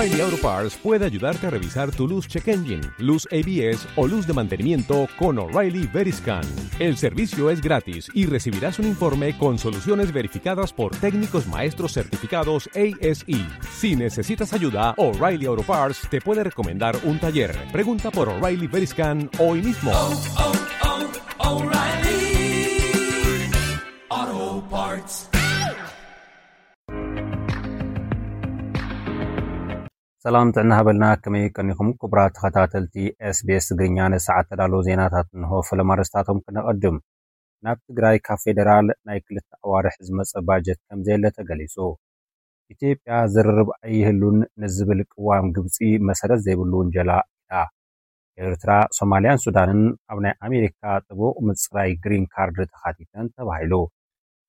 O'Reilly Auto Parts puede ayudarte a revisar tu luz check engine, luz A B S o luz de mantenimiento con O'Reilly Veriscan. El servicio es gratis y recibirás un informe con soluciones verificadas por técnicos maestros certificados A S E. Si necesitas ayuda, O'Reilly Auto Parts te puede recomendar un taller. Pregunta por O'Reilly Veriscan hoy mismo. Oh, oh, oh, O'Reilly Auto Parts. ሰላም ጥዕና ሃበልና። ከመይ ቀኒኹም ክቡራት ተኸታተልቲ ኤስቢኤስ ትግርኛ? ንሰዓት ተዳለዉ ዜናታት እንሆ። ፈለማ ኣርእስታቶም ክነቐድም። ናብ ትግራይ ካብ ፌደራል ናይ ክልተ ኣዋርሕ ዝመፀ ባጀት ከም ዘየለ ተገሊፁ። ኢትዮጵያ ዝርርብ ኣይህሉን ንዝብል ቅዋም ግብፂ መሰረት ዘይብሉ ውንጀላ ኢላ። ኤርትራ፣ ሶማልያን ሱዳንን ኣብ ናይ ኣሜሪካ ጥቡቕ ምፅራይ ግሪን ካርድ ተኻቲተን ተባሂሉ።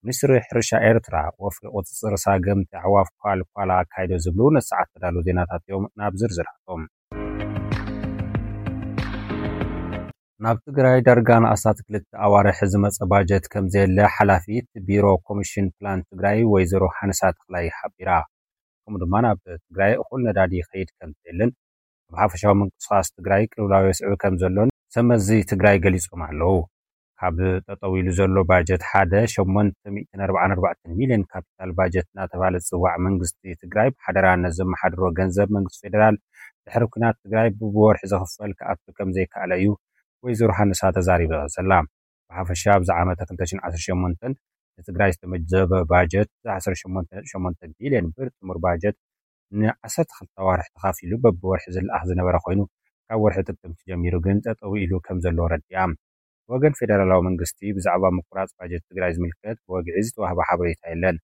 ሚኒስትሪ ሕርሻ ኤርትራ ወፍሪ ቁፅፅር ሳገምቲ ኣዕዋፍ ኳል ኳላ ኣካይዶ ዝብሉ ንሰዓት ተዳሉ ዜናታት እዮም። ናብ ዝርዝራቶም። ናብ ትግራይ ዳርጋ ንኣስታት ክልተ ኣዋርሕ ዝመፀ ባጀት ከም ዘየለ ሓላፊት ቢሮ ኮሚሽን ፕላን ትግራይ ወይዘሮ ሃንሳ ተኽላይ ሓቢራ። ከምኡ ድማ ናብ ትግራይ እኹል ነዳዲ ይኸይድ ከም ዘየለን ኣብ ሓፈሻዊ ምንቅስቃስ ትግራይ ቅልውላው የስዕብ ከም ዘሎን ሰመዚ ትግራይ ገሊፆም ኣለዉ። ካብ ጠጠው ኢሉ ዘሎ ባጀት ሓደ ሸሞንተ ሚእትን ኣርባዓን ኣርባዕተን ሚልዮን ካፒታል ባጀት እናተባለ ዝፅዋዕ መንግስቲ ትግራይ ብሓደራ ነዘመሓድሮ ገንዘብ መንግስቲ ፌደራል ድሕሪ ኲናት ትግራይ ብብወርሒ ዝኽፈል ክኣቱ ከም ዘይከኣለ እዩ ወይዘሮ ሃንሳ ተዛሪባ ዘላ። ብሓፈሻ ኣብዚ ዓመተ ክልተ ሽሕን ዓሰርተ ሸሞንተን ንትግራይ ዝተመደበ ባጀት ዓሰርተ ሸሞንተ ነጥቢ ሸሞንተ ቢልዮን ብር ጥሙር ባጀት ን ዓሰርተ ክልተ ኣዋርሕ ተኻፊሉ በብወርሒ ዝለኣኽ ዝነበረ ኮይኑ ካብ ወርሒ ጥቅምቲ ጀሚሩ ግን ጠጠው ኢሉ ከም ዘሎ ረዲኣ። ብወገን ፌደራላዊ መንግስቲ ብዛዕባ ምቁራፅ ባጀት ትግራይ ዝምልከት ብወግዒ ዝተዋህበ ሓበሬታ የለን።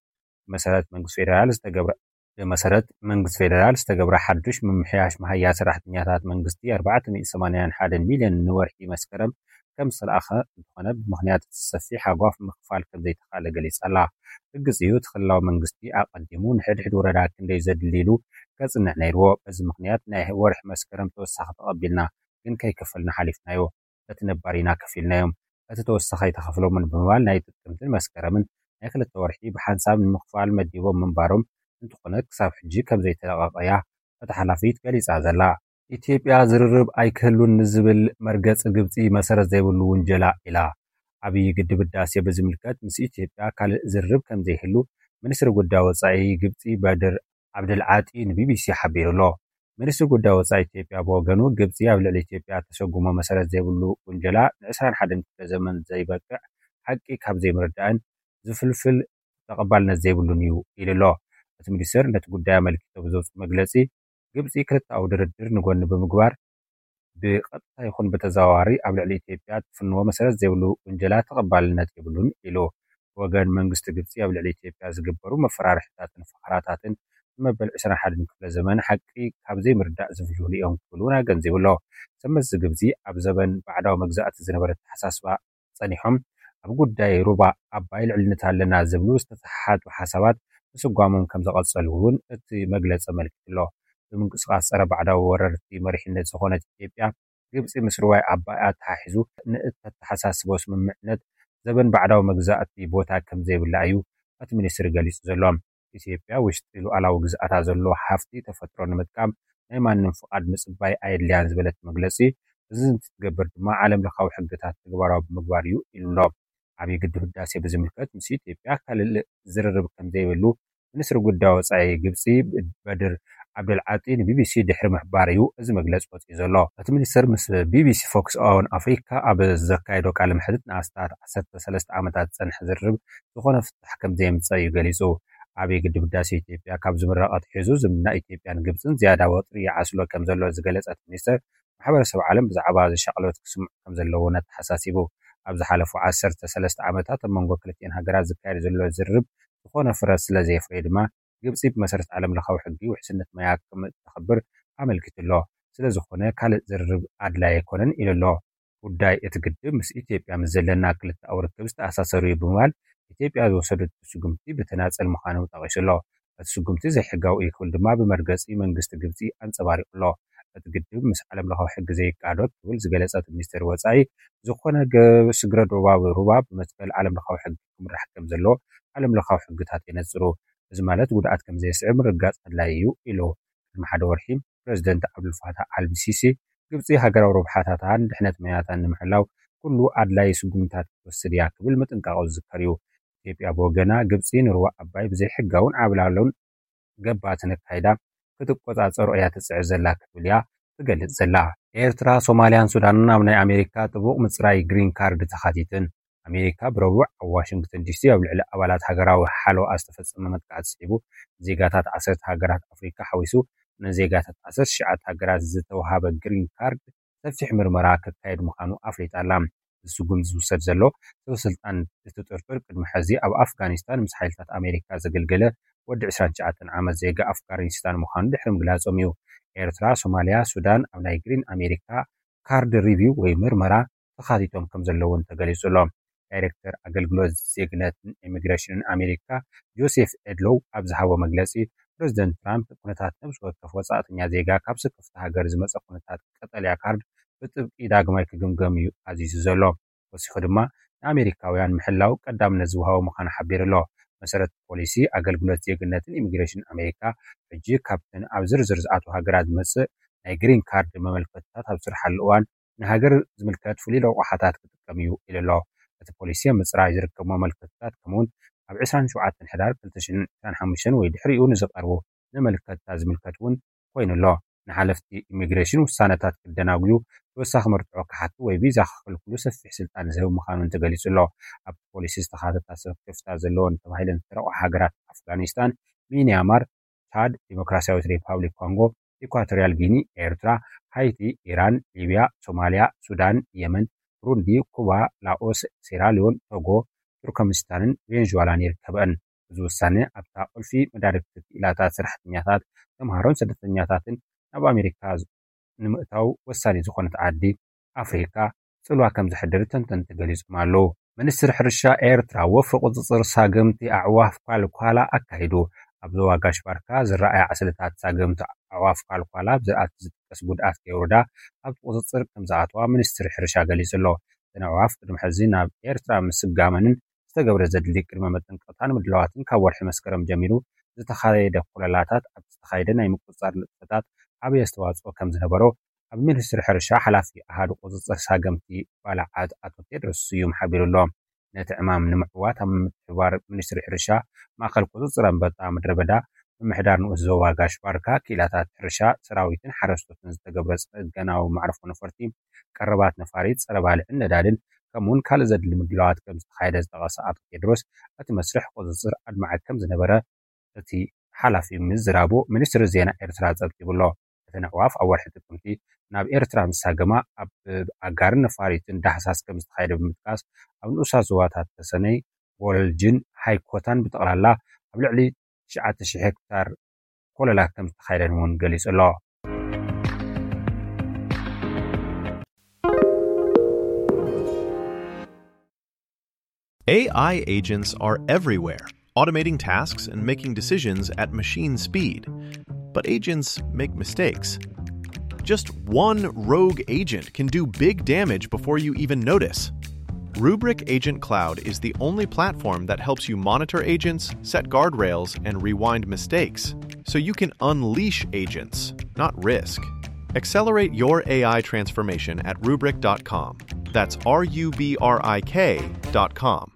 ብመሰረት መንግስቲ ፌደራል ዝተገብረ ብመሰረት መንግስቲ ፌደራል ዝተገብረ ሓዱሽ ምምሕያሽ መሃያ ሰራሕተኛታት መንግስቲ ኣርባዕተ ሚእቲ ሰማንያን ሓደን ሚልዮን ንወርሒ መስከረም ከም ዝተለኣኸ እንተኾነ ብምኽንያት እቲ ሰፊሕ ሃጓፍ ምኽፋል ከም ዘይተኻለ ገሊጻ ኣላ። ርግጽ እዩ እቲ ክልላዊ መንግስቲ ኣቐዲሙ ንሕድሕድ ወረዳ ክንደይ ዘድሊ ኢሉ ከጽንዕ ነይርዎ። በዚ ምኽንያት ናይ ወርሒ መስከረም ተወሳኺ ተቐቢልና ግን ከይከፈልና ሓሊፍናዮ። በቲ ነባር ኢና ከፊልናዮም። እቲ ተወሳኺ ኣይተኸፍሎምን ብምባል ናይ ጥቅምትን መስከረምን ናይ ክልተ ወርሒ ብሓንሳብ ንምኽፋል መዲቦም ምንባሮም እንተኾነ ክሳብ ሕጂ ከም ዘይተለቐቐ እያ እታ ሓላፊት ገሊጻ ዘላ። ኢትዮጵያ ዝርርብ ኣይክህሉን ንዝብል መርገጺ ግብጺ መሰረት ዘይብሉ ውንጀላ ኢላ። ዓብዪ ግድብ ህዳሴ ብዝምልከት ምስ ኢትዮጵያ ካልእ ዝርርብ ከም ዘይህሉ ሚኒስትሪ ጉዳይ ወጻኢ ግብጺ በድር ዓብደልዓጢ ንቢቢሲ ሓቢሩ ኣሎ። ሚኒስትሪ ጉዳይ ወጻኢ ኢትዮጵያ ብወገኑ ግብጺ ኣብ ልዕሊ ኢትዮጵያ ተሰጉሞ መሰረት ዘይብሉ ውንጀላ ንዕስራን ሓደን ክፍለ ዘመን ዘይበቅዕ ሓቂ ካብ ዘይምርዳእን ዝፍልፍል ተቐባልነት ዘይብሉን እዩ ኢሉ ኣሎ። እቲ ሚኒስትር ነቲ ጉዳይ ኣመልኪቶ ብዘውፅኦ መግለጺ ግብጺ ክልተኣዊ ድርድር ንጎኒ ብምግባር ብቐጥታ ይኹን ብተዘዋዋሪ ኣብ ልዕሊ ኢትዮጵያ ትፍንዎ መሰረት ዘይብሉ ውንጀላ ተቐባልነት የብሉን ኢሉ። ብወገን መንግስቲ ግብጺ ኣብ ልዕሊ ኢትዮጵያ ዝግበሩ መፈራርሕታትን ፈኸራታትን ንመበል ዕስራን ሓደን ክፍለ ዘመን ሓቂ ካብ ዘይምርዳእ ዝፍልፍሉ እዮም ክብል እውን ኣገንዚቡ ኣሎ። ሰመዚ ግብጺ ኣብ ዘበን ባዕዳዊ መግዛእቲ ዝነበረ ኣተሓሳስባ ጸኒሖም ኣብ ጉዳይ ሩባ ኣባይ ልዕልነት ኣለና ዝብሉ ዝተተሓሓቱ ሓሳባት ምስጓሞም ከም ዘቐጸሉ እውን እቲ መግለጺ ኣመልኪቱ ኣሎ። ብምንቅስቃስ ጸረ ባዕዳዊ ወረርቲ መሪሕነት ዝኾነት ኢትዮጵያ ግብጺ ምስ ሩባይ ዓባይ ኣተሓሒዙ ንእተተሓሳስቦ ስምምዕነት ዘበን ባዕዳዊ መግዛእቲ ቦታ ከም ዘይብላ እዩ እቲ ሚኒስትሪ ገሊጹ ዘሎ። ኢትዮጵያ ውሽጢ ሉዓላዊ ግዝኣታ ዘሎ ሃፍቲ ተፈጥሮ ንምጥቃም ናይ ማንም ፍቓድ ምጽባይ ኣየድልያን ዝበለት መግለጺ፣ እዚ እንትትገብር ድማ ዓለም ለኻዊ ሕግታት ተግባራዊ ብምግባር እዩ ኢሉ ኣሎ። ዓብዪ ግድብ ህዳሴ ብዝምልከት ምስ ኢትዮጵያ ካልእ ዝርርብ ከም ዘይብሉ ሚኒስትሪ ጉዳይ ወጻኢ ግብጺ በድር ዓብደልዓጢ ንቢቢሲ ድሕሪ ምሕባር እዩ እዚ መግለጺ ወጺኡ ዘሎ። እቲ ሚኒስትር ምስ ቢቢሲ ፎክስ ኦን ኣፍሪካ ኣብ ዘካየዶ ቃለ መሕትት ንኣስታት ዓሰርተ ሰለስተ ዓመታት ዝጸንሐ ዝርርብ ዝኾነ ፍታሕ ከም ዘየምጸ እዩ ገሊጹ። ዓብዪ ግድብ ህዳሴ ኢትዮጵያ ካብ ዝምረቕ ኣትሒዙ ዝምድና ኢትዮጵያን ግብጽን ዝያዳ ወጥሪ ይዓስሎ ከም ዘሎ ዝገለጸ እቲ ሚኒስትር ማሕበረሰብ ዓለም ብዛዕባ እዚ ሻቕሎት ክስምዑ ከም ዘለዎ ኣተሓሳሲቡ። ኣብ ዝሓለፉ ዓሰርተ ሰለስተ ዓመታት ኣብ መንጎ ክልቲኤን ሃገራት ዝካየድ ዘሎ ዝርርብ ዝኾነ ፍረ ስለ ዘየፍረየ ድማ ግብጺ ብመሰረት ዓለም ለኻዊ ሕጊ ውሕስነት ማያ ከም እተኽብር ኣመልኪቱ ኣሎ። ስለ ዝኾነ ካልእ ዝርርብ ኣድላይ ኣይኮነን ኢሉ ኣሎ። ጉዳይ እቲ ግድብ ምስ ኢትዮጵያ ምስ ዘለና ክልተኣዊ ርክብ ዝተኣሳሰሩ እዩ ብምባል ኢትዮጵያ ዝወሰደቶ ስጉምቲ ብተናጸል ምዃኑ ጠቒሱ ኣሎ። እቲ ስጉምቲ ዘይሕጋዊ እዩ ክብል ድማ ብመርገጺ መንግስቲ ግብጺ ኣንጸባሪቑ ኣሎ። እቲ ግድብ ምስ ዓለም ለኻዊ ሕጊ ዘይቃዶ ክብል ዝገለጸ እቲ ሚኒስትር ወጻኢ ዝኾነ ገ- ስግረ ዶባዊ ሩባ ብመትከል ዓለም ለኻዊ ሕጊ ክምራሕ ከም ዘለዎ ዓለም ለኻዊ ሕግታት የነጽሩ። እዚ ማለት ጉድኣት ከም ዘየስዕብ ምርግጋጽ ኣድላይ እዩ ኢሉ። ቅድሚ ሓደ ወርሒ ፕረዚደንት ዓብዱልፋታሕ ኣልሲሲ፣ ግብጺ ሃገራዊ ረብሓታታን ድሕነት መያታን ንምሕላው ኩሉ ኣድላዪ ስጉምታት ክትወስድ እያ ክብል ምጥንቃቑ ዝዝከር እዩ። ኢትዮጵያ ብወገና፣ ግብጺ ንሩባ ኣባይ ብዘይሕጋውን ዓብላሎን ገባትን ኣካይዳ ክትቆጻጸሮ እያ ትጽዕር ዘላ ክትብል እያ ትገልጽ ዘላ። ኤርትራ፣ ሶማልያን ሱዳንን ኣብ ናይ ኣሜሪካ ጥቡቕ ምጽራይ ግሪን ካርድ ተኻቲትን። ኣሜሪካ ብረቡዕ ኣብ ዋሽንግተን ዲሲ ኣብ ልዕሊ ኣባላት ሃገራዊ ሓለዋ ዝተፈጸመ መጥቃዕቲ ስዒቡ፣ ዜጋታት ዓሰርተ ሃገራት ኣፍሪካ ሓዊሱ ንዜጋታት ዓሰርተ ትሽዓተ ሃገራት ዝተውሃበ ግሪን ካርድ ሰፊሕ ምርመራ ክካየድ ምዃኑ ኣፍሊጣ ኣላ። እዚ ስጉምቲ ዝውሰድ ዘሎ፣ ሰብ ስልጣን እቲ ጥርጡር ቅድሚ ሕዚ ኣብ ኣፍጋኒስታን ምስ ሓይልታት ኣሜሪካ ዘገልገለ ወዲ ዕስራን ትሽዓተን ዓመት ዜጋ ኣፍጋኒስታን ምዃኑ ድሕሪ ምግላጾም እዩ። ኤርትራ፣ ሶማልያ፣ ሱዳን ኣብ ናይ ግሪን ኣሜሪካ ካርድ ሪቪው ወይ ምርመራ ተኻቲቶም ከም ዘለውን ተገሊጹ ኣሎ። ዳይሬክተር ኣገልግሎት ዜግነትን ኢሚግሬሽንን ኣሜሪካ ጆሴፍ ኤድሎው ኣብ ዝሃቦ መግለጺ፣ ፕረዚደንት ትራምፕ ኩነታት ነብሲ ወከፍ ወጻእተኛ ዜጋ ካብ ስክፍቲ ሃገር ዝመጸ ኩነታት ቀጠልያ ካርድ ብጥብቂ ዳግማይ ክግምገም እዩ ኣዚዙ ዘሎ። ወሲኹ ድማ፣ ንኣሜሪካውያን ምሕላው ቀዳምነት ዝወሃቦ ምዃኑ ሓቢሩ ኣሎ። መሰረት ፖሊሲ ኣገልግሎት ዜግነትን ኢሚግሬሽን ኣሜሪካ፣ ሕጂ ካብተን ኣብ ዝርዝር ዝኣትዋ ሃገራት ዝመጽእ ናይ ግሪን ካርድ መመልከትታት ኣብ ዝስርሓሉ እዋን፣ ንሃገር ዝምልከት ፍሉይ ረቋሓታት ክጥቀም እዩ ኢሉ ኣሎ። እቲ ፖሊሲ ኣብ ምጽራይ ዝርከቡ መመልከትታት፣ ከምኡውን ኣብ ዕስራን ሸውዓተን ሕዳር ክልተ ሽሕን ዕስራን ሓሙሽተን ወይ ድሕሪኡ ንዝቐርቡ መመልከትታት ዝምልከት እውን ኮይኑ ኣሎ። ንሓለፍቲ ኢሚግሬሽን ውሳነታት ክደናጉዩ፣ ተወሳኺ መርትዖ ክሓቱ ወይ ቪዛ ክኽልክሉ ሰፊሕ ስልጣን ዝህብ ምዃኑን ተገሊጹ ኣሎ። ኣብቲ ፖሊሲ ዝተኻተታ ስክፍታ ዘለወን ተባሂለን ዝተረቑሓ ሃገራት ኣፍጋኒስታን፣ ሚንያማር፣ ቻድ፣ ዲሞክራሲያዊት ሪፓብሊክ ኮንጎ፣ ኢኳቶሪያል ጊኒ፣ ኤርትራ፣ ሃይቲ፣ ኢራን፣ ሊብያ፣ ሶማልያ፣ ሱዳን፣ የመን፣ ብሩንዲ፣ ኩባ፣ ላኦስ፣ ሴራሊዮን፣ ቶጎ፣ ቱርከሚስታንን ቬንዙዋላን ይርከበን። እዚ ውሳነ ኣብታ ቁልፊ መዳርግቲ ክኢላታት፣ ሰራሕተኛታት፣ ተምሃሮን ስደተኛታትን ናብ ኣሜሪካ ንምእታው ወሳኒ ዝኾነት ዓዲ ኣፍሪካ ጽልዋ ከም ዘሕድር ተንተንቲ ገሊጾም ኣለዉ። ሚኒስትሪ ሕርሻ ኤርትራ፣ ወፍሪ ቁጽጽር ሳግምቲ ኣዕዋፍ ኳልኳላ ኣካይዱ። ኣብ ዞባ ጋሽ ባርካ ዝረኣያ ዕስለታት ሳግምቲ ኣዕዋፍ ኳልኳላ፣ ኣብ ዝራእቲ ዝጥቀስ ጉድኣት ከየውርዳ ኣብቲ ቁጽጽር ከም ዝኣተዋ ሚኒስትሪ ሕርሻ ገሊጹ ኣሎ። እተን ኣዕዋፍ ቅድሚ ሕዚ ናብ ኤርትራ ምስጋመንን ዝተገብረ ዘድሊ ቅድመ መጠንቀቕታን ምድላዋትን ካብ ወርሒ መስከረም ጀሚሩ ዝተኻየደ ኮለላታት፣ ኣብ ዝተኻየደ ናይ ምቁጽጻር ንጥፈታት ዓብዪ ኣስተዋጽኦ ከም ዝነበሮ ኣብ ሚኒስትሪ ሕርሻ ሓላፊ ኣሃዱ ቁጽጽር ሳገምቲ ባልዓት ኣቶ ቴድሮስ ስዩም ሓቢሩ ኣሎ። ነቲ ዕማም ንምዕዋት ኣብ ምትሕብባር ሚኒስትሪ ሕርሻ፣ ማእከል ቁጽጽር ኣንበጣ ምድረ በዳ፣ ምምሕዳር ንኡስ ዞባ ጋሽ ባርካ፣ ክኢላታት ሕርሻ፣ ሰራዊትን ሓረስቶትን ዝተገብረ ጽገናዊ መዕርፎ ነፈርቲ፣ ቀረባት ነፋሪት፣ ጸረ ባልዕን ነዳድን፣ ከምኡውን ካልእ ዘድሊ ምድላዋት ከም ዝተኻየደ ዝጠቐሰ ኣቶ ቴድሮስ፣ እቲ መስርሕ ቁጽጽር ኣድማዒ ከም ዝነበረ እቲ ሓላፊ ምዝራቡ ሚኒስትሪ ዜና ኤርትራ ጸብጺቡ ኣሎ። እተን ኣዕዋፍ ኣብ ወርሒ ጥቅምቲ ናብ ኤርትራ ምስ ሃገማ፣ ኣብ ኣጋርን ነፋሪትን ዳህሳስ ከም ዝተኻየደ ብምጥቃስ፣ ኣብ ንኡሳት ዞባታት ተሰነይ፣ ጎለልጅን ሃይኮታን ብጠቕላላ ኣብ ልዕሊ ትሽዓተ ሽሕ ሄክታር ኮለላ ከም ዝተኻየደን እውን ገሊጹ ኣሎ። A I agents are everywhere, automating tasks and making decisions at machine speed. But agents make mistakes. Just one rogue agent can do big damage before you even notice. Rubrik Agent Cloud is the only platform that helps you monitor agents, set guardrails, and rewind mistakes, so you can unleash agents, not risk. Accelerate your A I transformation at rubrik dot com. That's R U B R I K dot com.